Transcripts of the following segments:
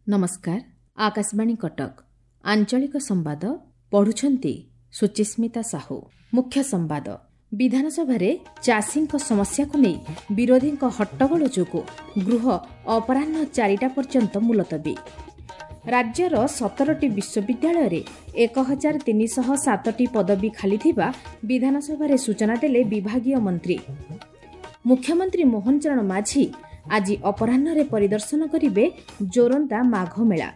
ନମସ୍କାର, ଆକାଶବାଣୀ କଟକ। ଆଞ୍ଚଳିକ ସମ୍ବାଦ ପଢୁଛନ୍ତି ସୁଚିସ୍ମିତା ସାହୁ। ମୁଖ୍ୟ ସମ୍ବାଦ। ବିଧାନସଭାରେ ଚାଷୀଙ୍କ ସମସ୍ୟାକୁ ନେଇ ବିରୋଧୀଙ୍କ ହଟ୍ଟଗୋଳ ଯୋଗୁଁ ଗୃହ ଅପରାହ୍ନ 4ଟା ପର୍ଯ୍ୟନ୍ତ ମୁଲତବୀ। ରାଜ୍ୟର 17ଟି ବିଶ୍ୱବିଦ୍ୟାଳୟରେ 1307ଟି ପଦବୀ ଖାଲିଥିବା ବିଧାନସଭାରେ ସୂଚନା ଦେଲେ ବିଭାଗୀୟ ମନ୍ତ୍ରୀ। ମୁଖ୍ୟମନ୍ତ୍ରୀ ମୋହନ ଚରଣ ମାଝୀ ଆଜି ଅପରାହ୍ନରେ ପରିଦର୍ଶନ କରିବେ ଜୋରନ୍ଦା ମାଘ ମେଳା।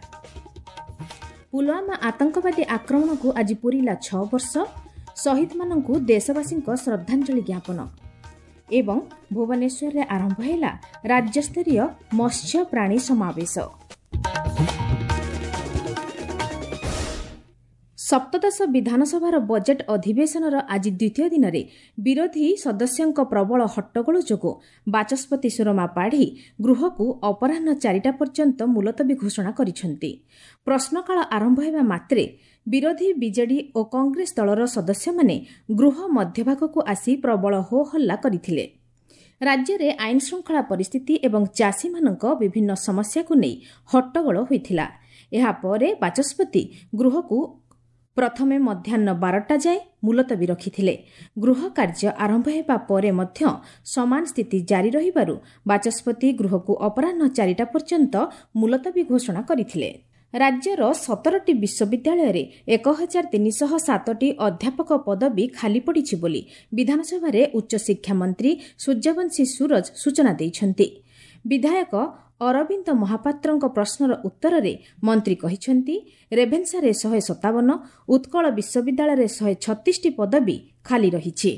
ପୁଲୱାମା ଆତଙ୍କବାଦୀ ଆକ୍ରମଣକୁ ଆଜି ପୂରିଲା 6 ବର୍ଷ, ଶହୀଦମାନଙ୍କୁ ଦେଶବାସୀଙ୍କ ଶ୍ରଦ୍ଧାଞ୍ଜଳି ଜ୍ଞାପନ। ଏବଂ ଭୁବନେଶ୍ୱରରେ ଆରମ୍ଭ ହେଲା ରାଜ୍ୟସ୍ତରୀୟ ମତ୍ସ୍ୟ ପ୍ରାଣୀ ସମାବେଶ। ସପ୍ତଦଶ ବିଧାନସଭାର ବଜେଟ୍ ଅଧିବେଶନର ଆଜି ଦ୍ୱିତୀୟ ଦିନରେ ବିରୋଧୀ ସଦସ୍ୟଙ୍କ ପ୍ରବଳ ହଟ୍ଟଗୋଳ ଯୋଗୁଁ ବାଚସ୍ପତି ସୁରମା ପାଢ଼ୀ ଗୃହକୁ ଅପରାହ୍ନ 4ଟା ପର୍ଯ୍ୟନ୍ତ ମୁଲତବୀ ଘୋଷଣା କରିଛନ୍ତି। ପ୍ରଶ୍ନକାଳ ଆରମ୍ଭ ହେବା ମାତ୍ରେ ବିରୋଧୀ ବିଜେଡି ଓ କଂଗ୍ରେସ ଦଳର ସଦସ୍ୟମାନେ ଗୃହ ମଧ୍ୟଭାଗକୁ ଆସି ପ୍ରବଳ ହୋହଲ୍ଲା କରିଥିଲେ। ରାଜ୍ୟରେ ଆଇନ ଶୃଙ୍ଖଳା ପରିସ୍ଥିତି ଏବଂ ଚାଷୀମାନଙ୍କ ବିଭିନ୍ନ ସମସ୍ୟାକୁ ନେଇ ହଟ୍ଟଗୋଳ ହୋଇଥିଲା। ଏହାପରେ ବାଚସ୍ପତି ଗୃହକୁ ପ୍ରଥମେ ମଧ୍ୟାହ୍ନ 12ଟା ଯାଏ ମୁଲତବୀ ରଖିଥିଲେ। ଗୃହ କାର୍ଯ୍ୟ ଆରମ୍ଭ ହେବା ପରେ ମଧ୍ୟ ସମାନ ସ୍ଥିତି ଜାରି ରହିବାରୁ ବାଚସ୍ପତି ଗୃହକୁ ଅପରାହ୍ନ 4ଟା ପର୍ଯ୍ୟନ୍ତ ମୁଲତବୀ ଘୋଷଣା କରିଥିଲେ। ରାଜ୍ୟର 17ଟି ବିଶ୍ୱବିଦ୍ୟାଳୟରେ 1307ଟି ଅଧ୍ୟାପକ ପଦବୀ ଖାଲି ପଡ଼ିଛି ବୋଲି ବିଧାନସଭାରେ ଉଚ୍ଚଶିକ୍ଷା ମନ୍ତ୍ରୀ ସୂର୍ଯ୍ୟବଂଶୀ ସୂରଜ ସୂଚନା ଦେଇଛନ୍ତି। ବିଧାୟକ ଅରବିନ୍ଦ ମହାପାତ୍ରଙ୍କ ପ୍ରଶ୍ନର ଉତ୍ତରରେ ମନ୍ତ୍ରୀ କହିଛନ୍ତି, ରେଭେନ୍ସାରେ 157, ଉତ୍କଳ ବିଶ୍ୱବିଦ୍ୟାଳୟରେ 136ଟି ପଦବୀ ଖାଲି ରହିଛି।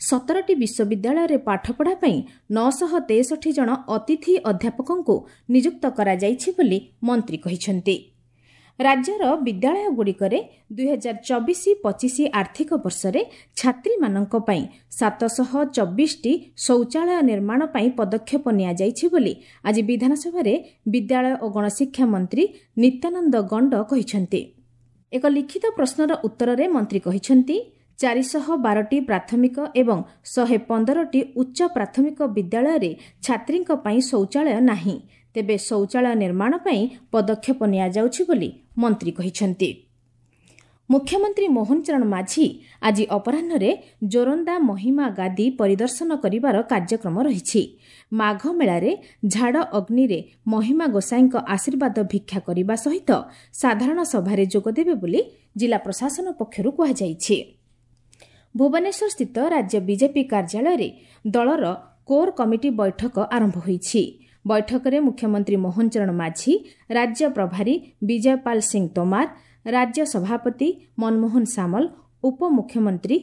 17ଟି ବିଶ୍ୱବିଦ୍ୟାଳୟରେ ପାଠପଢ଼ା ପାଇଁ 963 ଜଣ ଅତିଥି ଅଧ୍ୟାପକଙ୍କୁ ନିଯୁକ୍ତ କରାଯାଇଛି ବୋଲି ମନ୍ତ୍ରୀ କହିଛନ୍ତି। ରାଜ୍ୟର ବିଦ୍ୟାଳୟଗୁଡ଼ିକରେ 2024-25 ଆର୍ଥିକ ବର୍ଷରେ ଛାତ୍ରୀମାନଙ୍କ ପାଇଁ 724ଟି ଶୌଚାଳୟ ନିର୍ମାଣ ପାଇଁ ପଦକ୍ଷେପ ନିଆଯାଇଛି ବୋଲି ଆଜି ବିଧାନସଭାରେ ବିଦ୍ୟାଳୟ ଓ ଗଣଶିକ୍ଷା ମନ୍ତ୍ରୀ ନିତ୍ୟାନନ୍ଦ ଗଣ୍ଡ କହିଛନ୍ତି। ଏକ ଲିଖିତ ପ୍ରଶ୍ନର ଉତ୍ତରରେ ମନ୍ତ୍ରୀ କହିଛନ୍ତି, 412ଟି ପ୍ରାଥମିକ ଏବଂ 115ଟି ଉଚ୍ଚ ପ୍ରାଥମିକ ବିଦ୍ୟାଳୟରେ ଛାତ୍ରୀଙ୍କ ପାଇଁ ଶୌଚାଳୟ ନାହିଁ। ତେବେ ଶୌଚାଳୟ ନିର୍ମାଣ ପାଇଁ ପଦକ୍ଷେପ ନିଆଯାଉଛି ବୋଲି ମନ୍ତ୍ରୀ କହିଛନ୍ତି। ମୁଖ୍ୟମନ୍ତ୍ରୀ ମୋହନ ଚରଣ ମାଝୀ ଆଜି ଅପରାହ୍ନରେ ଜୋରନ୍ଦା ମହିମା ଗାଦି ପରିଦର୍ଶନ କରିବାର କାର୍ଯ୍ୟକ୍ରମ ରହିଛି। ମାଘ ମେଳାରେ ଝାଡ଼ ଅଗ୍ନିରେ ମହିମା ଗୋସାଇଁଙ୍କ ଆଶୀର୍ବାଦ ଭିକ୍ଷା କରିବା ସହିତ ସାଧାରଣ ସଭାରେ ଯୋଗଦେବେ ବୋଲି ଜିଲ୍ଲା ପ୍ରଶାସନ ପକ୍ଷରୁ କୁହାଯାଇଛି। ଭୁବନେଶ୍ୱରସ୍ଥିତ ରାଜ୍ୟ ବିଜେପି କାର୍ଯ୍ୟାଳୟରେ ଦଳର କୋର୍ କମିଟି ବୈଠକ ଆରମ୍ଭ ହୋଇଛି। ବୈଠକରେ ମୁଖ୍ୟମନ୍ତ୍ରୀ ମୋହନ ଚରଣ ମାଝୀ, ରାଜ୍ୟ ପ୍ରଭାରୀ ବିଜୟପାଲ ସିଂ ତୋମାର, ରାଜ୍ୟ ସଭାପତି ମନମୋହନ ସାମଲ, ଉପମୁଖ୍ୟମନ୍ତ୍ରୀ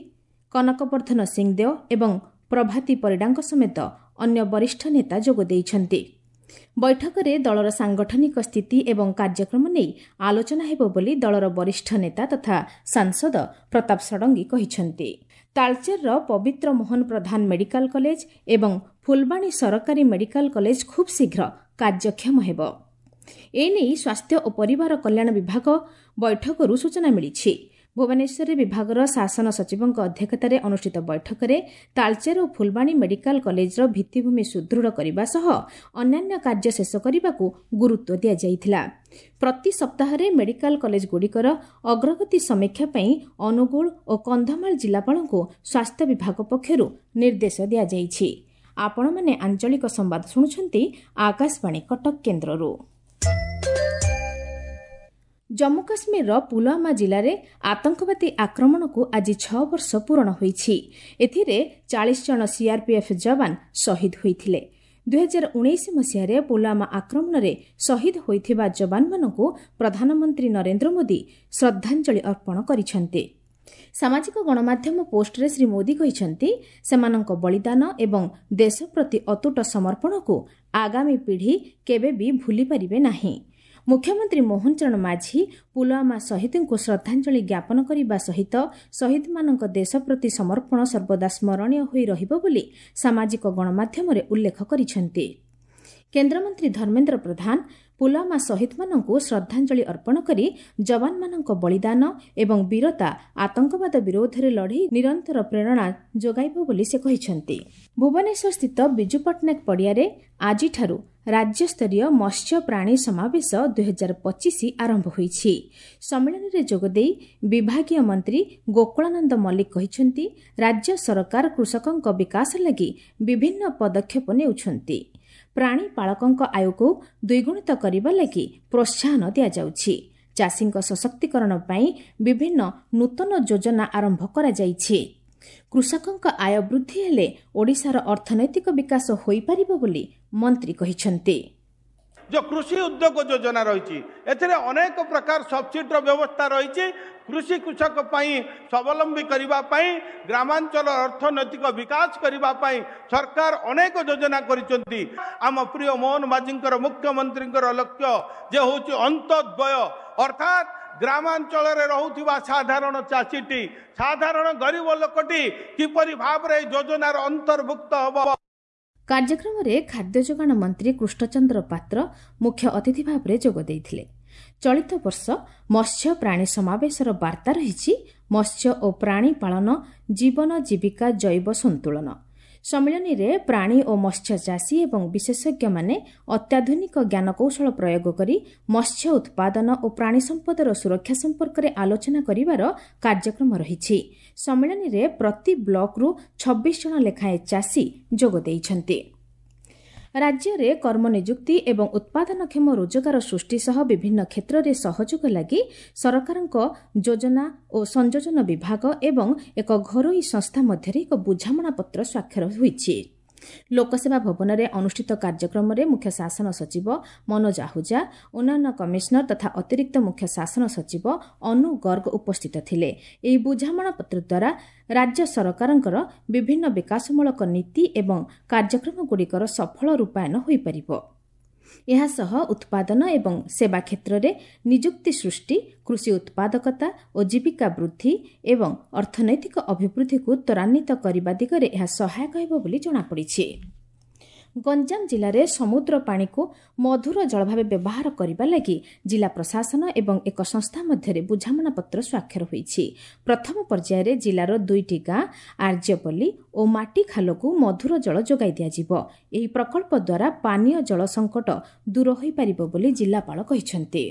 କନକବର୍ଦ୍ଧନ ସିଂଦେଓ ଏବଂ ପ୍ରଭାତୀ ପରିଡ଼ାଙ୍କ ସମେତ ଅନ୍ୟ ବରିଷ୍ଠ ନେତା ଯୋଗ ଦେଇଛନ୍ତି। ବୈଠକରେ ଦଳର ସାଂଗଠନିକ ସ୍ଥିତି ଏବଂ କାର୍ଯ୍ୟକ୍ରମ ନେଇ ଆଲୋଚନା ହେବ ବୋଲି ଦଳର ବରିଷ୍ଠ ନେତା ତଥା ସାଂସଦ ପ୍ରତାପ ଷଡ଼ଙ୍ଗୀ କହିଛନ୍ତି। ତାଳଚେରର ପବିତ୍ର ମୋହନ ପ୍ରଧାନ ମେଡିକାଲ କଲେଜ ଏବଂ ଫୁଲବାଣୀ ସରକାରୀ ମେଡିକାଲ କଲେଜ ଖୁବ୍ ଶୀଘ୍ର କାର୍ଯ୍ୟକ୍ଷମ ହେବ। ଏନେଇ ସ୍ୱାସ୍ଥ୍ୟ ଓ ପରିବାର କଲ୍ୟାଣ ବିଭାଗ ବୈଠକରୁ ସୂଚନା ମିଳିଛି। ଭୁବନେଶ୍ୱରରେ ବିଭାଗର ଶାସନ ସଚିବଙ୍କ ଅଧ୍ୟକ୍ଷତାରେ ଅନୁଷ୍ଠିତ ବୈଠକରେ ତାଳଚେର ଓ ଫୁଲବାଣୀ ମେଡିକାଲ କଲେଜର ଭିତ୍ତିଭୂମି ସୁଦୃଢ଼ କରିବା ସହ ଅନ୍ୟାନ୍ୟ କାର୍ଯ୍ୟ ଶେଷ କରିବାକୁ ଗୁରୁତ୍ୱ ଦିଆଯାଇଥିଲା। ପ୍ରତି ସପ୍ତାହରେ ମେଡିକାଲ କଲେଜଗୁଡ଼ିକର ଅଗ୍ରଗତି ସମୀକ୍ଷା ପାଇଁ ଅନୁଗୁଳ ଓ କନ୍ଧମାଳ ଜିଲ୍ଲାପାଳଙ୍କୁ ସ୍ୱାସ୍ଥ୍ୟ ବିଭାଗ ପକ୍ଷରୁ ନିର୍ଦ୍ଦେଶ ଦିଆଯାଇଛି। ଆପଣମାନେ ଆଞ୍ଚଳିକ ସମ୍ବାଦ ଶୁଣୁଛନ୍ତି ଆକାଶବାଣୀ କଟକ କେନ୍ଦ୍ରରୁ। ଜମ୍ମୁ କାଶ୍ମୀରର ପୁଲୱାମା ଜିଲ୍ଲାରେ ଆତଙ୍କବାଦୀ ଆକ୍ରମଣକୁ ଆଜି 6 ବର୍ଷ ପୂରଣ ହୋଇଛି। ଏଥିରେ 40 ଜଣ ସିଆର୍ପିଏଫ୍ ଯବାନ ଶହୀଦ ହୋଇଥିଲେ। 2019 ମସିହାରେ ପୁଲୱାମା ଆକ୍ରମଣରେ ଶହୀଦ ହୋଇଥିବା ଯବାନମାନଙ୍କୁ ପ୍ରଧାନମନ୍ତ୍ରୀ ନରେନ୍ଦ୍ର ମୋଦି ଶ୍ରଦ୍ଧାଞ୍ଜଳି ଅର୍ପଣ କରିଛନ୍ତି। ସାମାଜିକ ଗଣମାଧ୍ୟମ ପୋଷ୍ଟରେ ଶ୍ରୀ ମୋଦି କହିଛନ୍ତି, ସେମାନଙ୍କ ବଳିଦାନ ଏବଂ ଦେଶ ପ୍ରତି ଅତୁଟ ସମର୍ପଣକୁ ଆଗାମୀ ପିଢ଼ି କେବେ ବି ଭୁଲିପାରିବେ ନାହିଁ। ମୁଖ୍ୟମନ୍ତ୍ରୀ ମୋହନ ଚରଣ ମାଝୀ ପୁଲୱାମା ଶହୀଦଙ୍କୁ ଶ୍ରଦ୍ଧାଞ୍ଜଳି ଜ୍ଞାପନ କରିବା ସହିତ ଶହୀଦମାନଙ୍କ ଦେଶ ପ୍ରତି ସମର୍ପଣ ସର୍ବଦା ସ୍ମରଣୀୟ ହୋଇ ରହିବ ବୋଲି ସାମାଜିକ ଗଣମାଧ୍ୟମରେ ଉଲ୍ଲେଖ କରିଛନ୍ତି। କେନ୍ଦ୍ରମନ୍ତ୍ରୀ ଧର୍ମେନ୍ଦ୍ର ପ୍ରଧାନ ପୁଲୱାମା ଶହୀଦମାନଙ୍କୁ ଶ୍ରଦ୍ଧାଞ୍ଜଳି ଅର୍ପଣ କରି ଯବାନମାନଙ୍କ ବଳିଦାନ ଏବଂ ବୀରତା ଆତଙ୍କବାଦ ବିରୋଧରେ ଲଢ଼େଇ ନିରନ୍ତର ପ୍ରେରଣା ଯୋଗାଇବ ବୋଲି ସେ କହିଛନ୍ତି। ଭୁବନେଶ୍ୱରସ୍ଥିତ ବିଜୁ ପଟ୍ଟନାୟକ ପଡ଼ିଆରେ ଆଜିଠାରୁ ରାଜ୍ୟସ୍ତରୀୟ ମତ୍ସ୍ୟ ପ୍ରାଣୀ ସମାବେଶ 2025 ଆରମ୍ଭ ହୋଇଛି। ସମ୍ମିଳନୀରେ ଯୋଗଦେଇ ବିଭାଗୀୟ ମନ୍ତ୍ରୀ ଗୋକୁଳାନନ୍ଦ ମଲ୍ଲିକ କହିଛନ୍ତି, ରାଜ୍ୟ ସରକାର କୃଷକଙ୍କ ବିକାଶ ଲାଗି ବିଭିନ୍ନ ପଦକ୍ଷେପ ନେଉଛନ୍ତି। ପ୍ରାଣୀପାଳକଙ୍କ ଆୟକୁ ଦ୍ୱିଗୁଣିତ କରିବା ଲାଗି ପ୍ରୋତ୍ସାହନ ଦିଆଯାଉଛି। ଚାଷୀଙ୍କ ସଶକ୍ତିକରଣ ପାଇଁ ବିଭିନ୍ନ ନୂତନ ଯୋଜନା ଆରମ୍ଭ କରାଯାଇଛି। କୃଷକଙ୍କ ଆୟ ବୃଦ୍ଧି ହେଲେ ଓଡ଼ିଶାର ଅର୍ଥନୈତିକ ବିକାଶ ହୋଇପାରିବ ବୋଲି ମନ୍ତ୍ରୀ କହିଛନ୍ତି। ଯେଉଁ କୃଷି ଉଦ୍ୟୋଗ ଯୋଜନା ରହିଛି, ଏଥିରେ ଅନେକ ପ୍ରକାର ସବସିଡିର ବ୍ୟବସ୍ଥା ରହିଛି। କୃଷି କୃଷକ ପାଇଁ ସ୍ୱାବଲମ୍ବୀ କରିବା ପାଇଁ, ଗ୍ରାମାଞ୍ଚଳ ଅର୍ଥନୈତିକ ବିକାଶ କରିବା ପାଇଁ ସରକାର ଅନେକ ଯୋଜନା କରିଛନ୍ତି। ଆମ ପ୍ରିୟ ମୋହନ ମାଝୀଙ୍କର, ମୁଖ୍ୟମନ୍ତ୍ରୀଙ୍କର ଲକ୍ଷ୍ୟ ଯେ ହେଉଛି ଅନ୍ତୋଦୟ, ଅର୍ଥାତ୍ ଗ୍ରାମାଞ୍ଚଳରେ ରହୁଥିବା ସାଧାରଣ ଚାଷୀଟି, ସାଧାରଣ ଗରିବ ଲୋକଟି କିପରି ଭାବରେ ଏହି ଯୋଜନାର ଅନ୍ତର୍ଭୁକ୍ତ ହେବ। କାର୍ଯ୍ୟକ୍ରମରେ ଖାଦ୍ୟ ଯୋଗାଣ ମନ୍ତ୍ରୀ କୃଷ୍ଣଚନ୍ଦ୍ର ପାତ୍ର ମୁଖ୍ୟ ଅତିଥି ଭାବରେ ଯୋଗ ଦେଇଥିଲେ। ଚଳିତ ବର୍ଷ ମତ୍ସ୍ୟ ପ୍ରାଣୀ ସମାବେଶର ବାର୍ତ୍ତା ରହିଛି ମତ୍ସ୍ୟ ଓ ପ୍ରାଣୀ ପାଳନ ଜୀବନ ଜୀବିକା ଜୈବ ସନ୍ତୁଳନ। ସମ୍ମିଳନୀରେ ପ୍ରାଣୀ ଓ ମତ୍ସ୍ୟ ଚାଷୀ ଏବଂ ବିଶେଷଜ୍ଞମାନେ ଅତ୍ୟାଧୁନିକ ଜ୍ଞାନକୌଶଳ ପ୍ରୟୋଗ କରି ମତ୍ସ୍ୟ ଉତ୍ପାଦନ ଓ ପ୍ରାଣୀ ସମ୍ପଦର ସୁରକ୍ଷା ସମ୍ପର୍କରେ ଆଲୋଚନା କରିବାର କାର୍ଯ୍ୟକ୍ରମ ରହିଛି। ସମ୍ମିଳନୀରେ ପ୍ରତି ବ୍ଲକରୁ 26 ଜଣ ଲେଖାଏଁ ଚାଷୀ ଯୋଗ ଦେଇଛନ୍ତି। ରାଜ୍ୟରେ କର୍ମନିଯୁକ୍ତି ଏବଂ ଉତ୍ପାଦନକ୍ଷମ ରୋଜଗାର ସୃଷ୍ଟି ସହ ବିଭିନ୍ନ କ୍ଷେତ୍ରରେ ସହଯୋଗ ଲାଗି ସରକାରଙ୍କ ଯୋଜନା ଓ ସଂଯୋଜନ ବିଭାଗ ଏବଂ ଏକ ଘରୋଇ ସଂସ୍ଥା ମଧ୍ୟରେ ଏକ ବୁଝାମଣାପତ୍ର ସ୍ୱାକ୍ଷର ହୋଇଛି। ଲୋକସେବା ଭବନରେ ଅନୁଷ୍ଠିତ କାର୍ଯ୍ୟକ୍ରମରେ ମୁଖ୍ୟ ଶାସନ ସଚିବ ମନୋଜ ଆହୁଜା, ଉନ୍ନୟନ କମିଶନର ତଥା ଅତିରିକ୍ତ ମୁଖ୍ୟ ଶାସନ ସଚିବ ଅନୁ ଗର୍ଗ ଉପସ୍ଥିତ ଥିଲେ। ଏହି ବୁଝାମଣାପତ୍ର ଦ୍ୱାରା ରାଜ୍ୟ ସରକାରଙ୍କର ବିଭିନ୍ନ ବିକାଶମୂଳକ ନୀତି ଏବଂ କାର୍ଯ୍ୟକ୍ରମଗୁଡ଼ିକର ସଫଳ ରୂପାୟନ ହୋଇପାରିବ। ଏହାସହ ଉତ୍ପାଦନ ଏବଂ ସେବା କ୍ଷେତ୍ରରେ ନିଯୁକ୍ତି ସୃଷ୍ଟି, କୃଷି ଉତ୍ପାଦକତା ଓ ଜୀବିକା ବୃଦ୍ଧି ଏବଂ ଅର୍ଥନୈତିକ ଅଭିବୃଦ୍ଧିକୁ ତ୍ୱରାନ୍ୱିତ କରିବା ଦିଗରେ ଏହା ସହାୟକ ହେବ ବୋଲି ଜଣାପଡ଼ିଛି। ଗଞ୍ଜାମ ଜିଲ୍ଲାରେ ସମୁଦ୍ର ପାଣିକୁ ମଧୁର ଜଳ ଭାବେ ବ୍ୟବହାର କରିବା ଲାଗି ଜିଲ୍ଲା ପ୍ରଶାସନ ଏବଂ ଏକ ସଂସ୍ଥା ମଧ୍ୟରେ ବୁଝାମଣାପତ୍ର ସ୍ୱାକ୍ଷର ହୋଇଛି। ପ୍ରଥମ ପର୍ଯ୍ୟାୟରେ ଜିଲ୍ଲାର 2ଟି ଗାଁ ଆର୍ଯ୍ୟପଲ୍ଲୀ ଓ ମାଟିଖାଲକୁ ମଧୁର ଜଳ ଯୋଗାଇ ଦିଆଯିବ। ଏହି ପ୍ରକଳ୍ପ ଦ୍ୱାରା ପାନୀୟ ଜଳ ସଙ୍କଟ ଦୂର ହୋଇପାରିବ ବୋଲି ଜିଲ୍ଲାପାଳ କହିଛନ୍ତି।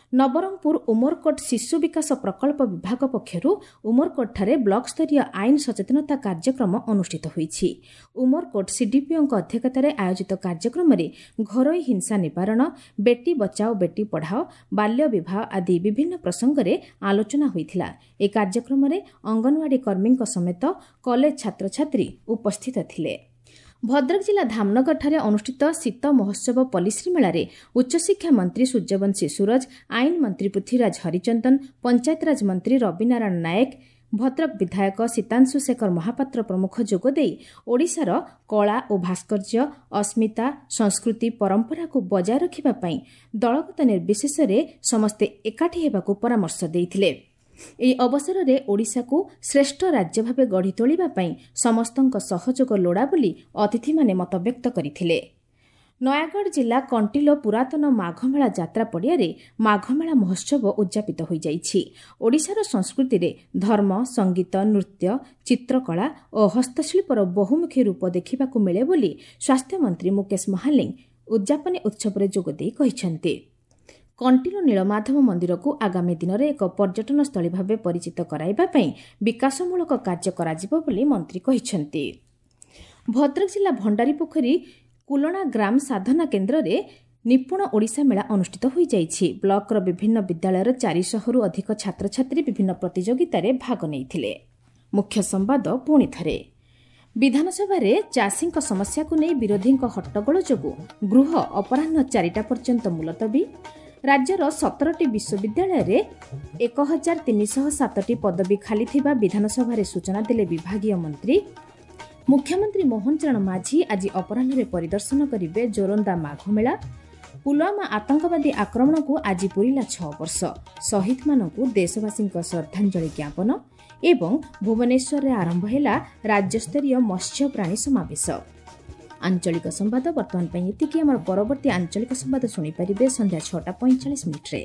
ନବରଙ୍ଗପୁର ଉମରକୋଟ ଶିଶୁ ବିକାଶ ପ୍ରକଳ୍ପ ବିଭାଗ ପକ୍ଷରୁ ଉମରକୋଟଠାରେ ବ୍ଲକସ୍ତରୀୟ ଆଇନ ସଚେତନତା କାର୍ଯ୍ୟକ୍ରମ ଅନୁଷ୍ଠିତ ହୋଇଛି। ଉମରକୋଟ ସିଡିପିଓଙ୍କ ଅଧ୍ୟକ୍ଷତାରେ ଆୟୋଜିତ କାର୍ଯ୍ୟକ୍ରମରେ ଘରୋଇ ହିଂସା ନିବାରଣ, ବେଟି ବଚାଓ ବେଟି ପଢ଼ାଓ, ବାଲ୍ୟ ବିବାହ ଆଦି ବିଭିନ୍ନ ପ୍ରସଙ୍ଗରେ ଆଲୋଚନା ହୋଇଥିଲା। ଏହି କାର୍ଯ୍ୟକ୍ରମରେ ଅଙ୍ଗନୱାଡି କର୍ମୀଙ୍କ ସମେତ କଲେଜ ଛାତ୍ରଛାତ୍ରୀ ଉପସ୍ଥିତ ଥିଲେ। ଭଦ୍ରକ ଜିଲ୍ଲା ଧାମନଗରଠାରେ ଅନୁଷ୍ଠିତ ଶୀତ ମହୋତ୍ସବ ପଲ୍ଲୀଶ୍ରୀ ମେଳାରେ ଉଚ୍ଚଶିକ୍ଷା ମନ୍ତ୍ରୀ ସୂର୍ଯ୍ୟବଂଶୀ ସୂରଜ, ଆଇନ ମନ୍ତ୍ରୀ ପୃଥ୍ୱୀରାଜ ହରିଚନ୍ଦନ, ପଞ୍ଚାୟତିରାଜ ମନ୍ତ୍ରୀ ରବିନାରାୟଣ ନାୟକ, ଭଦ୍ରକ ବିଧାୟକ ସୀତାଂଶୁ ଶେଖର ମହାପାତ୍ର ପ୍ରମୁଖ ଯୋଗଦେଇ ଓଡ଼ିଶାର କଳା ଓ ଭାସ୍କର୍ଯ୍ୟ, ଅସ୍ମିତା, ସଂସ୍କୃତି, ପରମ୍ପରାକୁ ବଜାୟ ରଖିବା ପାଇଁ ଦଳଗତ ନିର୍ବିଶେଷରେ ସମସ୍ତେ ଏକାଠି ହେବାକୁ ପରାମର୍ଶ ଦେଇଥିଲେ। ଏହି ଅବସରରେ ଓଡ଼ିଶାକୁ ଶ୍ରେଷ୍ଠ ରାଜ୍ୟ ଭାବେ ଗଢ଼ି ତୋଳିବା ପାଇଁ ସମସ୍ତଙ୍କ ସହଯୋଗ ଲୋଡ଼ା ବୋଲି ଅତିଥିମାନେ ମତବ୍ୟକ୍ତ କରିଥିଲେ। ନୟାଗଡ଼ ଜିଲ୍ଲା କଣ୍ଟିଲୋ ପୁରାତନ ମାଘମେଳା ଯାତ୍ରା ପଡ଼ିଆରେ ମାଘମେଳା ମହୋତ୍ସବ ଉଦ୍ଯାପିତ ହୋଇଯାଇଛି। ଓଡ଼ିଶାର ସଂସ୍କୃତିରେ ଧର୍ମ, ସଙ୍ଗୀତ, ନୃତ୍ୟ, ଚିତ୍ରକଳା ଓ ହସ୍ତଶିଳ୍ପର ବହୁମୁଖୀ ରୂପ ଦେଖିବାକୁ ମିଳେ ବୋଲି ସ୍ୱାସ୍ଥ୍ୟମନ୍ତ୍ରୀ ମୁକେଶ ମହାଲିଙ୍ଗ ଉଦ୍ଯାପନୀ ଉତ୍ସବରେ ଯୋଗଦେଇ କହିଛନ୍ତି। କଣ୍ଟିଲୋ ନୀଳମାଧବ ମନ୍ଦିରକୁ ଆଗାମୀ ଦିନରେ ଏକ ପର୍ଯ୍ୟଟନସ୍ଥଳୀ ଭାବେ ପରିଚିତ କରାଇବା ପାଇଁ ବିକାଶମୂଳକ କାର୍ଯ୍ୟ କରାଯିବ ବୋଲି ମନ୍ତ୍ରୀ କହିଛନ୍ତି। ଭଦ୍ରକ ଜିଲ୍ଲା ଭଣ୍ଡାରୀପୋଖରୀ କୁଲଣା ଗ୍ରାମ ସାଧନା କେନ୍ଦ୍ରରେ ନିପୁଣ ଓଡ଼ିଶା ମେଳା ଅନୁଷ୍ଠିତ ହୋଇଯାଇଛି। ବ୍ଲକର ବିଭିନ୍ନ ବିଦ୍ୟାଳୟର 400ରୁ ଅଧିକ ଛାତ୍ରଛାତ୍ରୀ ବିଭିନ୍ନ ପ୍ରତିଯୋଗିତାରେ ଭାଗ ନେଇଥିଲେ। ମୁଖ୍ୟ ସମ୍ବାଦ ପୁଣି ଥରେ। ବିଧାନସଭାରେ ଚାଷୀଙ୍କ ସମସ୍ୟାକୁ ନେଇ ବିରୋଧୀଙ୍କ ହଟ୍ଟଗୋଳ ଯୋଗୁଁ ଗୃହ ଅପରାହ୍ନ 4ଟା ପର୍ଯ୍ୟନ୍ତ ମୁଲତବୀ। ରାଜ୍ୟର 17ଟି ବିଶ୍ୱବିଦ୍ୟାଳୟରେ 1307ଟି ପଦବୀ ଖାଲି ଥିବା ବିଧାନସଭାରେ ସୂଚନା ଦେଲେ ବିଭାଗୀୟ ମନ୍ତ୍ରୀ। ମୁଖ୍ୟମନ୍ତ୍ରୀ ମୋହନ ଚରଣ ମାଝୀ ଆଜି ଅପରାହ୍ନରେ ପରିଦର୍ଶନ କରିବେ ଜୋରନ୍ଦା ମାଘମେଳା। ପୁଲୱାମା ଆତଙ୍କବାଦୀ ଆକ୍ରମଣକୁ ଆଜି ପୂରିଲା 6 ବର୍ଷ, ଶହୀଦମାନଙ୍କୁ ଦେଶବାସୀଙ୍କ ଶ୍ରଦ୍ଧାଞ୍ଜଳି ଜ୍ଞାପନ। ଏବଂ ଭୁବନେଶ୍ୱରରେ ଆରମ୍ଭ ହେଲା ରାଜ୍ୟସ୍ତରୀୟ ମତ୍ସ୍ୟ ପ୍ରାଣୀ ସମାବେଶ। ଆଞ୍ଚଳିକ ସମ୍ବାଦ ବର୍ତ୍ତମାନ ପାଇଁ ଏତିକି। ଆମର ପରବର୍ତ୍ତୀ ଆଞ୍ଚଳିକ ସମ୍ବାଦ ଶୁଣିପାରିବେ ସନ୍ଧ୍ୟା 6ଟା 45 ମିନିଟ୍ରେ।